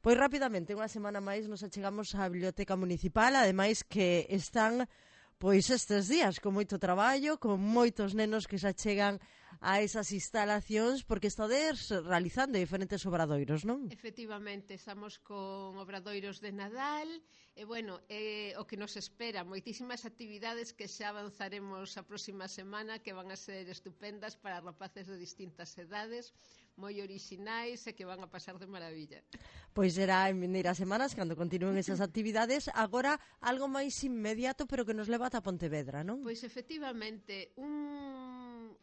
Pois rapidamente, unha semana máis nos achegamos á Biblioteca Municipal, ademais que están pois estes días con moito traballo, con moitos nenos que se achegan a esas instalacións porque estades realizando diferentes obradoiros, non? Efectivamente, estamos con obradoiros de Nadal e, bueno, o que nos espera, moitísimas actividades que xa avanzaremos a próxima semana que van a ser estupendas para rapaces de distintas edades, moi orixinais e que van a pasar de maravilla. Pois será en vindeiras semanas cando continúen esas actividades. Agora, algo máis inmediato pero que nos leva ata Pontevedra, non? Pois efectivamente, un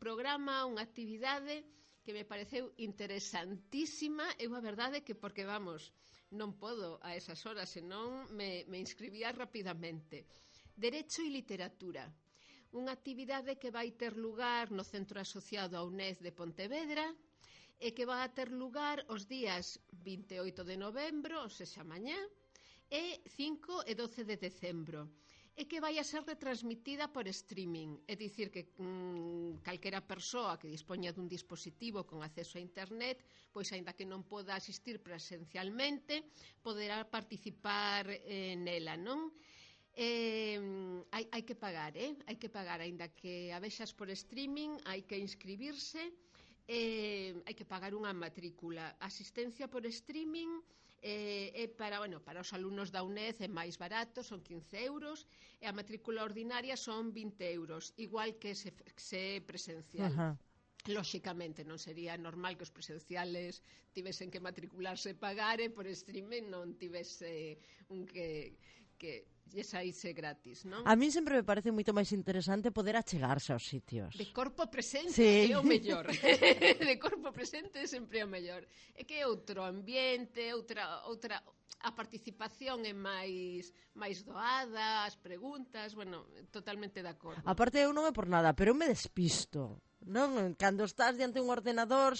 programa, unha actividade que me pareceu interesantísima. Eu a verdade que porque, vamos, non podo a esas horas, senón me inscribía rapidamente. Derecho e literatura. Unha actividade que vai ter lugar no Centro Asociado á UNED de Pontevedra e que vai ter lugar os días 28 de novembro, ou sexa, mañá, e 5 e 12 de decembro, e que vai a ser retransmitida por streaming, é dicir que calquera persoa que dispoña dun dispositivo con acceso a internet, pois aínda que non poda asistir presencialmente, poderá participar nela, non? Hai que pagar, hai que pagar, aínda que a vexas por streaming, hai que inscribirse, hai que pagar unha matrícula. Asistencia por streaming para os alumnos da UNED é máis barato, son 15 euros, e a matrícula ordinaria son 20 euros, igual que se é presencial. Lóxicamente non sería normal que os presenciales tivesen que matricularse e pagar, e por streaming non tivese un que lle saíse gratis, non? A min sempre me parece moito máis interesante poder achegarse aos sitios. De corpo presente sí. É o mellor. De corpo presente sempre é o mellor. É que é outro ambiente, outra a participación é máis doada, as preguntas, bueno, totalmente de acordo. Aparte, eu non é por nada, pero eu me despisto, non? Cando estás diante un ordenador,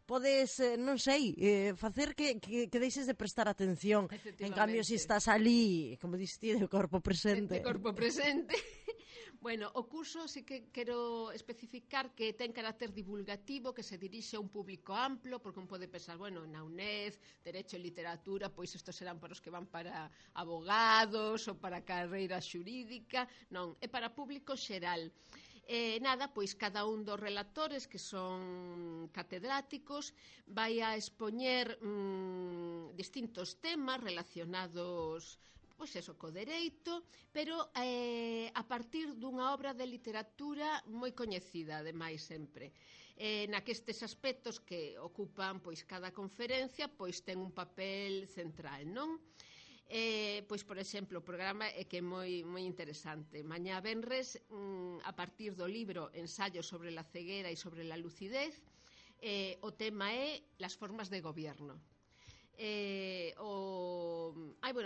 podes, non sei, facer que deixes de prestar atención. En cambio, se estás ali, como diste, de corpo presente. De corpo presente. Bueno, o curso sí que quero especificar que ten carácter divulgativo, que se dirixe a un público amplo, porque un pode pensar, bueno, na UNED, Derecho e Literatura, pois estos serán para os que van para abogados ou para carreira xurídica. Non, é para público xeral. Pois cada un dos relatores, que son catedráticos, vai a expoñer distintos temas relacionados co dereito, pero a partir dunha obra de literatura moi coñecida, ademais, sempre. Na que estes aspectos que ocupan cada conferencia ten un papel central, non? Pois, por exemplo, o programa é que é moi interesante. Mañá venres, a partir do libro Ensayo sobre la ceguera e sobre la lucidez, o tema é las formas de gobierno.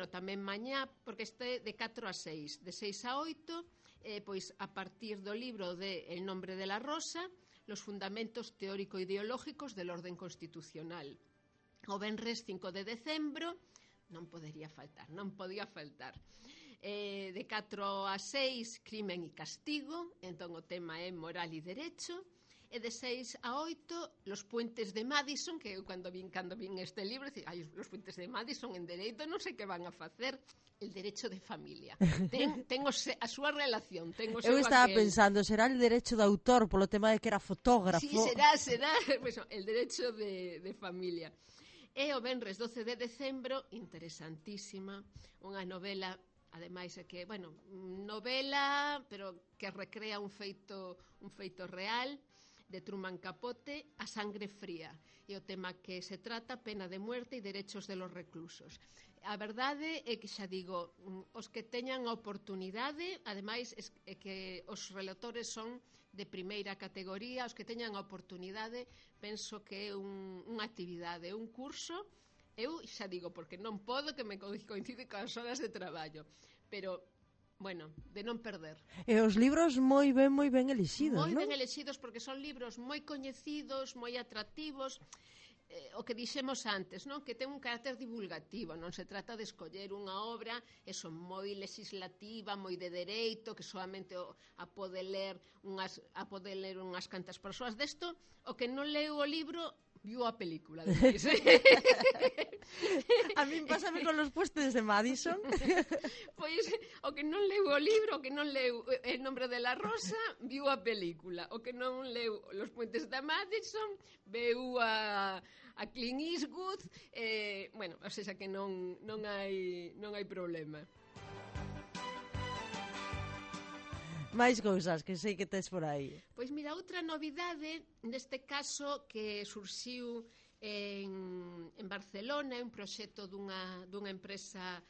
Tamén mañá, porque este de 4 a 6, de 6 a 8, pois a partir do libro de El nombre de la rosa, los fundamentos teórico-ideológicos del orden constitucional. O venres 5 de decembro, non podía faltar. De 4 a 6, crimen e castigo, entón o tema é moral e derecho. E de 6 a 8, los puentes de Madison, que eu cando vin este libro, los puentes de Madison en dereito, non sei que van a facer. El derecho de familia. Ten a súa relación. Eu estaba pensando, será el derecho de autor, polo tema de que era fotógrafo. Sí, será. El derecho de familia. E o venres 12 de decembro, interesantísima, unha novela, ademais é que, novela, pero que recrea un feito real, de Truman Capote, A sangre fría, e o tema que se trata, pena de muerte e derechos de los reclusos. A verdade é que, xa digo, os que teñan a oportunidade, ademais é que os relatores son de primeira categoría, os que teñan a oportunidade, penso que é unha actividade, un curso. Eu xa digo, porque non podo, que me coincide coas horas de traballo, pero de non perder. E os libros moi ben elixidos, non? Moi ben elixidos, porque son libros moi coñecidos, moi atractivos. O que dixemos antes, non? Que ten un carácter divulgativo, non se trata de escoller unha obra moi legislativa, moi de dereito, que solamente a pode ler unhas cantas persoas. Desto, o que non leu o libro viu a película, depois. A min pásame con los puestos de Madison. Pois, o que non leu o libro, o que non leu El nombre de la rosa, viu a película. O que non leu Los puentes de Madison, veu a Clint Eastwood, bueno, o sea que non hai problema. Máis cousas que sei que tes por aí. Pois mira, outra novidade, neste caso, que surxiu en Barcelona, é un proxecto dunha empresa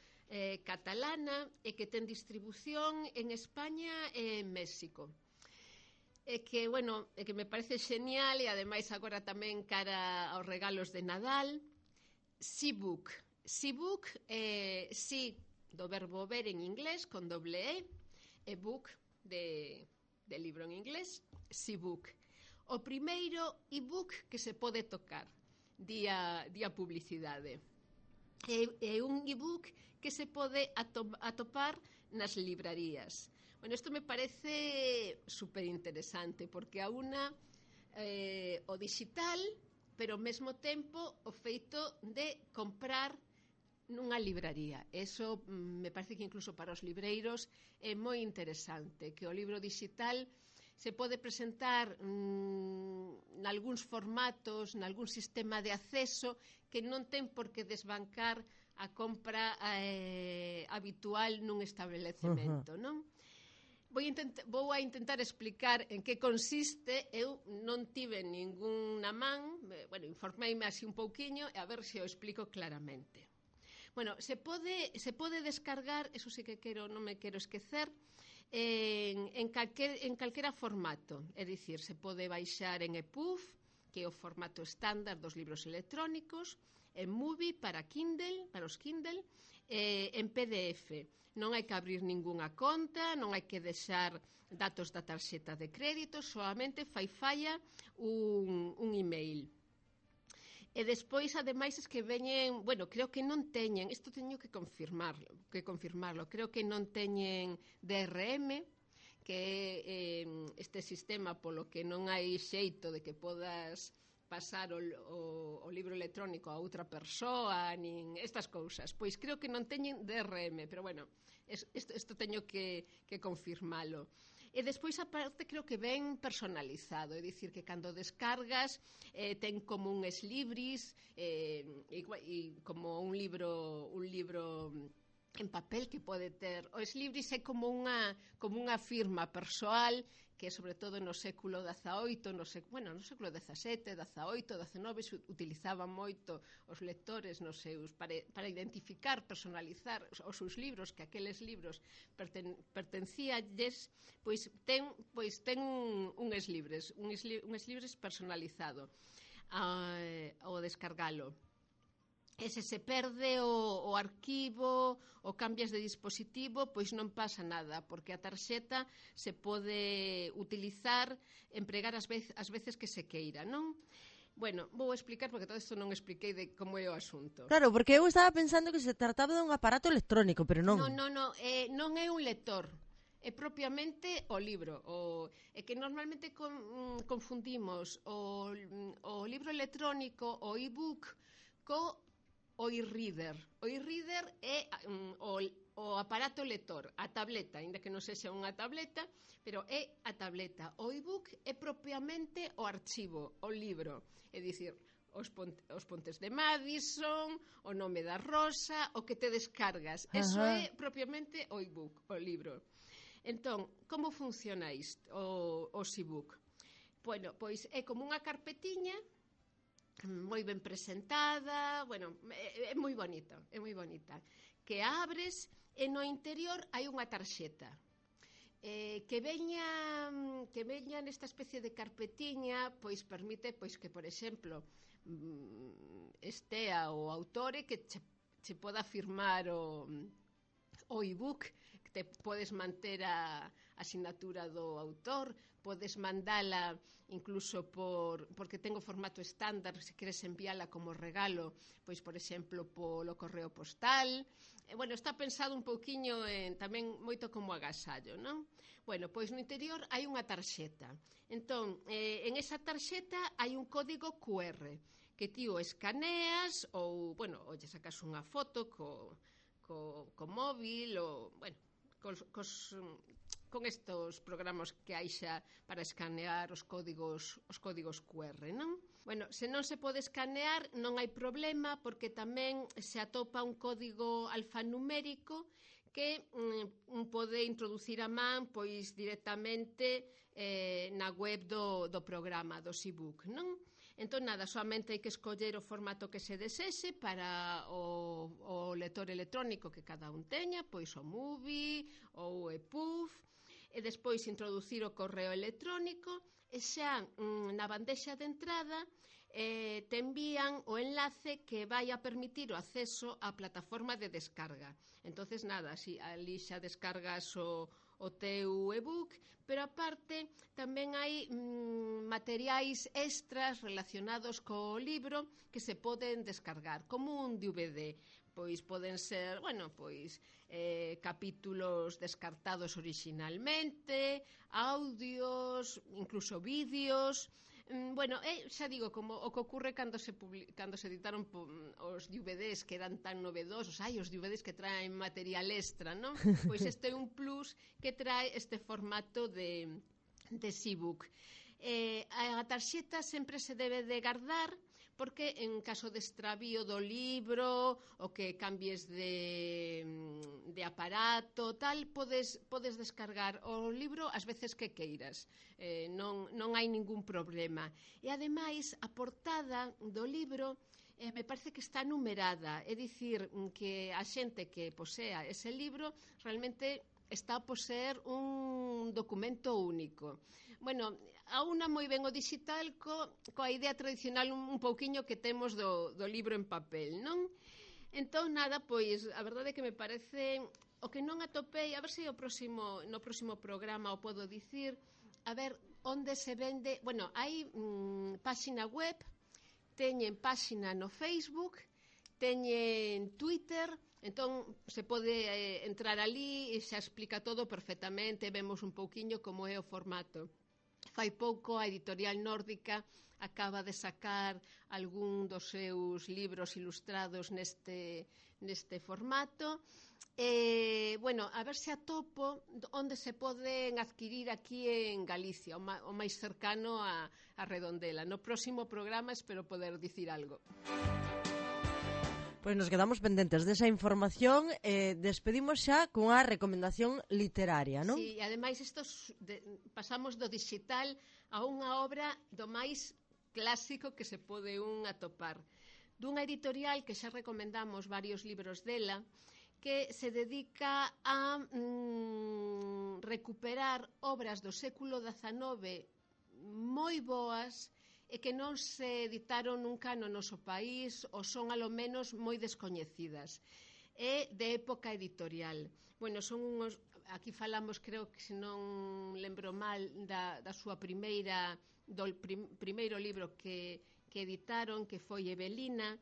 catalana e que ten distribución en España e en México. E que, bueno, que me parece genial e ademais agora tamén cara aos regalos de Nadal. Seabook. Seabook, sí, do verbo ver en inglés, con doble e book de libro en inglés, Seabook. O primeiro e-book que se pode tocar, día publicidade. É un e-book que se pode atopar nas librarías. Bueno, isto me parece super interesante, porque a una o digital, pero ao mesmo tempo o feito de comprar nunha libraría. Eso me parece que incluso para os libreiros é moi interesante, que o libro digital se pode presentar nalgúns formatos, nalgún sistema de acceso que non ten por que desbancar a compra habitual nun establecemento, non? Vou a intentar explicar en que consiste. Eu non tive ninguna man, bueno, informeime así un pouquiño e a ver se o explico claramente. Bueno, se pode descargar, eso sí que non me quero esquecer, en calquera formato. É dicir, se pode baixar en EPUB, que é o formato estándar dos libros electrónicos, en Movie para Kindle, para os Kindle, en PDF. Non hai que abrir ningunha conta, non hai que deixar datos da tarxeta de crédito, solamente falla un email. E despois, ademais, es que veñen, bueno, creo que non teñen, isto teño que confirmarlo, creo que non teñen DRM, que é este sistema polo que non hai xeito de que podas pasar o libro electrónico a outra persoa, nin estas cousas. Pois creo que non teñen DRM, pero bueno, isto teño que confirmalo. E despois, aparte, creo que ven personalizado, é dicir, que cando descargas ten como un eslibris e como un libro en papel que pode ter. O eslibris é como unha firma persoal que, sobre todo no século XVIII, no século XVII, XVIII, XIX, utilizaban moito os lectores nos seus para identificar, personalizar os seus libros, que aqueles libros pertencíalles, pois ten un eslibris personalizado ao descargalo. E se perde o arquivo ou cambias de dispositivo, pois non pasa nada, porque a tarxeta se pode utilizar, empregar as veces que se queira, non? Bueno, vou explicar, porque todo isto non expliquei de como é o asunto. Claro, porque eu estaba pensando que se trataba dun aparato electrónico, pero non. Non é un lector. É propiamente o libro. É que normalmente confundimos o libro electrónico, o e-book, o e-reader. O e-reader é o aparato lector, a tableta, ainda que non sexa unha tableta, pero é a tableta. O e-book é propiamente o archivo, o libro. É dicir, os pontes de Madison, o nome da rosa, o que te descargas. Eso é propiamente o e-book, o libro. Entón, como funciona isto, o e-book? Bueno, pois é como unha carpetiña moi ben presentada, bueno, é moi bonita, que abres e no interior hai unha tarxeta que veña nesta especie de carpetiña, pois permite pois que, por exemplo, estea o autore que che poda firmar o e-book, que te podes manter a asinatura do autor, podes mandala incluso porque ten o formato estándar, se queres enviala como regalo, pois, por exemplo, polo correo postal. Bueno, está pensado un pouquiño tamén moito como agasallo, non? Bueno, pois no interior hai unha tarxeta. Entón, en esa tarxeta hai un código QR que ti o escaneas ou, bueno, ou lle sacas unha foto co móvil ou, bueno, con estos programas que hai xa para escanear os códigos QR, non? Bueno, se non se pode escanear non hai problema porque tamén se atopa un código alfanumérico que pode introducir a man pois directamente na web do programa, do ebook, non? Entón, nada, solamente hai que escoller o formato que se desexe para o lector electrónico que cada un teña, pois o MOVI ou o EPUB, e despois introducir o correo electrónico e xa na bandexa de entrada te envían o enlace que vai a permitir o acceso á plataforma de descarga. Entonces nada, si ali xa descargas o teu ebook, pero aparte tamén hai materiais extras relacionados co libro que se poden descargar, como un DVD. Pois poden ser, bueno, pois capítulos descartados originalmente, audios, incluso vídeos. Bueno, xa digo, como o que ocorre cando se editaron os DVDs que eran tan novedosos, os DVDs que traen material extra, non? Pois este é un plus que trae este formato de ebook. A tarxeta sempre se debe de guardar porque en caso de extravío do libro ou que cambies de aparato tal, podes descargar o libro as veces que queiras, non hai ningún problema. E ademais a portada do libro me parece que está numerada, é dicir que a xente que posea ese libro realmente está a poseer un documento único. Bueno, aúna moi ben o digital coa idea tradicional un pouquiño que temos do libro en papel, non? Entón, nada, pois, a verdade é que me parece o que non atopei, a ver se no próximo programa o podo dicir, a ver onde se vende, bueno, hai páxina web, teñen páxina no Facebook, teñen Twitter, entón se pode entrar ali e xa explica todo perfectamente, vemos un pouquiño como é o formato. Fai pouco a editorial nórdica acaba de sacar algún dos seus libros ilustrados neste formato. Bueno, a ver se atopo onde se poden adquirir aquí en Galicia, o máis cercano a Redondela. No próximo programa espero poder dicir algo. Pois nos quedamos pendentes desa información e despedimos xa cunha recomendación literaria, non? Sí, e ademais pasamos do digital a unha obra do máis clásico que se pode un atopar. Dunha editorial que xa recomendamos varios libros dela, que se dedica a recuperar obras do século XIX moi boas e que non se editaron nunca no noso país ou son alo menos moi descoñecidas. É de época editorial. Bueno, son unhos, aquí falamos, creo que se non lembro mal, da súa primeiro libro que editaron, que foi Evelina.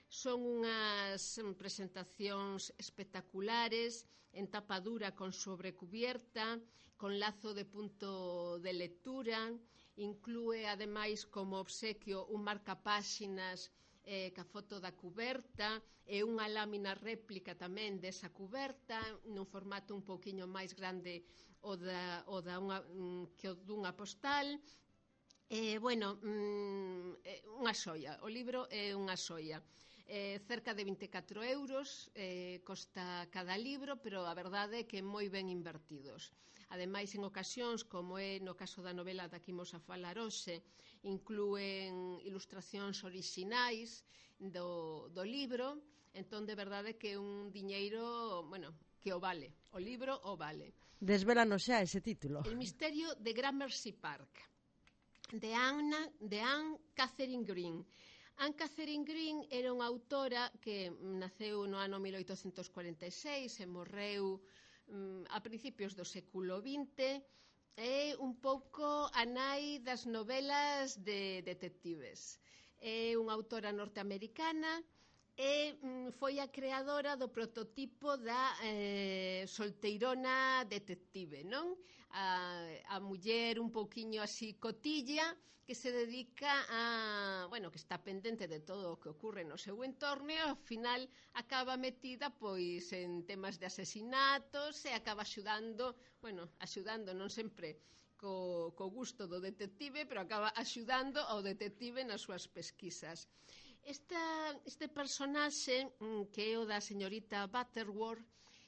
Son unhas presentacións espectaculares, en tapa dura con sobrecubierta, con lazo de punto de lectura. Inclúe, ademais, como obsequio un marcapáxinas ca foto da cuberta e unha lámina réplica tamén desa cuberta nun formato un pouquiño máis grande que o dunha postal. Bueno, unha xoia, o libro é unha xoia. Cerca de 24 euros costa cada libro, pero a verdade é que moi ben invertidos. Ademais, en ocasións, como é no caso da novela da que imos a falar hoxe, inclúen ilustracións orixinais do libro, entón de verdade que é un diñeiro, bueno, que o vale, o libro o vale. Desvélanos xa ese título. El misterio de Gramercy Park, de Anne Catherine Green. Anne Catherine Green era unha autora que naceu no ano 1846 e morreu a principios do século XX. É un pouco a nai das novelas de detectives. É unha autora norteamericana e foi a creadora do prototipo da solteirona detective, non? A muller un pouquiño así cotilla que se dedica a, bueno, que está pendente de todo o que ocorre no seu entorno e ao final acaba metida pois en temas de asesinatos e acaba axudando, bueno, axudando non sempre co gusto do detective, pero acaba axudando ao detective nas súas pesquisas. Este personaxe, que é o da señorita Butterworth,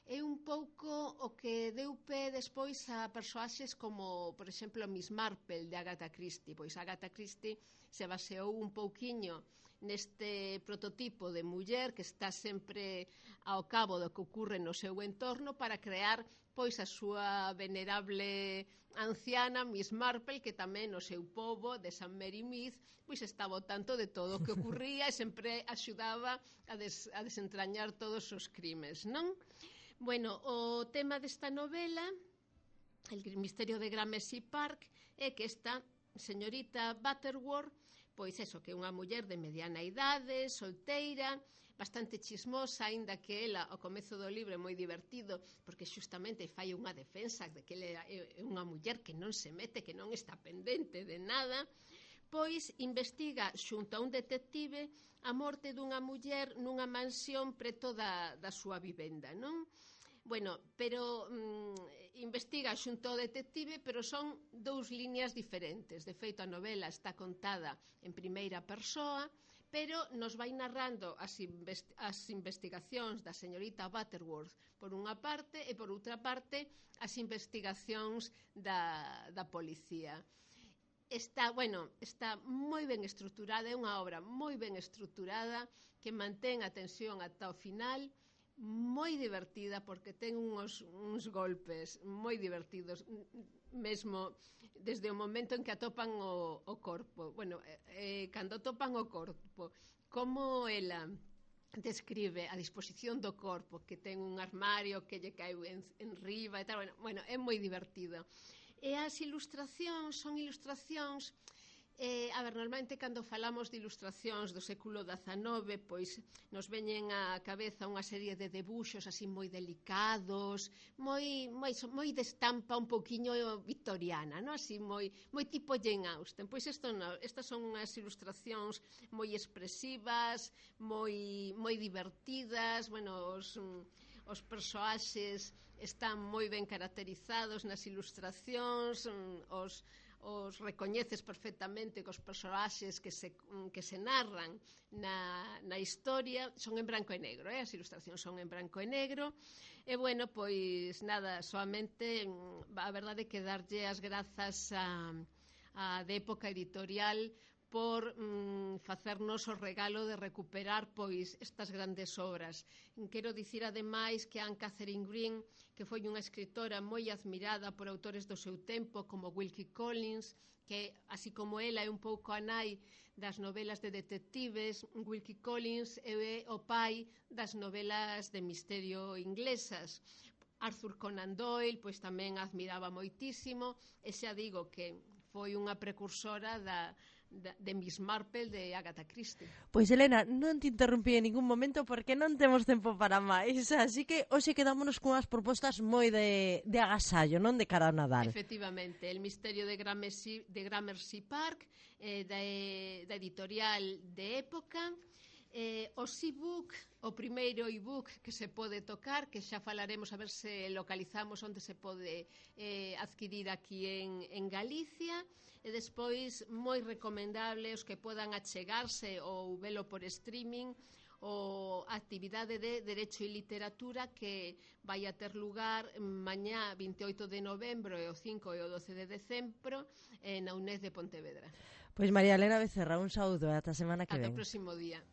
é un pouco o que deu pé despois a persoaxes como, por exemplo, Miss Marple de Agatha Christie. Pois Agatha Christie se baseou un pouquiño neste prototipo de muller que está sempre ao cabo do que ocorre no seu entorno para crear pois a súa venerable anciana Miss Marple, que tamén no seu pobo de St. Mary Mead pois estaba ao tanto de todo o que ocorría e sempre axudaba a desentrañar todos os crimes, non? Bueno, o tema desta novela, El misterio de Gramercy Park, é que esta señorita Butterworth, pois eso, que é unha muller de mediana idade, solteira, bastante chismosa, aínda que ela, ao comezo do libro, é moi divertido, porque xustamente fai unha defensa de que ela é unha muller que non se mete, que non está pendente de nada, pois investiga xunto a un detective a morte dunha muller nunha mansión preto da súa vivenda, non? Bueno, pero investiga xunto ao detective, pero son dous liñas diferentes. De feito, a novela está contada en primeira persoa, pero nos vai narrando as investigacións da señorita Butterworth por unha parte e por outra parte as investigacións da policía. Está moi ben estruturada, é unha obra moi ben estruturada que mantén a tensión ata o final, moi divertida porque ten uns golpes moi divertidos, mesmo desde o momento en que atopan o corpo. Bueno, cando atopan o corpo, como ela describe a disposición do corpo, que ten un armario que lle cae en riba e tal, bueno, é moi divertido. E as ilustracións son ilustracións, normalmente cando falamos de ilustracións do século XIX, pois nos veñen á cabeza unha serie de debuxos así moi delicados, moi de estampa un poquinho victoriana, non? Así moi tipo Jane Austen. Pois estas son unhas ilustracións moi expresivas, moi divertidas, bueno, os persoaxes están moi ben caracterizados nas ilustracións, os recoñeces perfectamente cos personaxes que se narran na historia. Son en branco e negro, as ilustracións son en branco e negro. E bueno, pois nada, soamente a verdade é que darlle as grazas a de Época Editorial por facernos o regalo de recuperar pois estas grandes obras. Quero dicir ademais que Anne Catherine Green, que foi unha escritora moi admirada por autores do seu tempo como Wilkie Collins, que así como ela é un pouco a nai das novelas de detectives, Wilkie Collins é o pai das novelas de misterio inglesas. Arthur Conan Doyle pois tamén admiraba moitísimo, e xa digo que foi unha precursora de Miss Marple de Agatha Christie. Pois Elena, non te interrumpí en ningún momento porque non temos tempo para máis, así que hoxe quedámonos cunhas propostas moi de agasallo, non de cara ao Nadal. Efectivamente, El misterio de Gramercy Park, da editorial de Época, os e-book, o primeiro e-book que se pode tocar, que xa falaremos a ver se localizamos onde se pode adquirir aquí en Galicia, e despois moi recomendable os que podan achegarse ou velo por streaming, o actividade de Derecho e Literatura que vai a ter lugar mañá 28 de novembro e o 5 e o 12 de decembro na UNED de Pontevedra. Pois María Elena Becerra, un saúdo e ata a semana que ven. Ata o próximo día.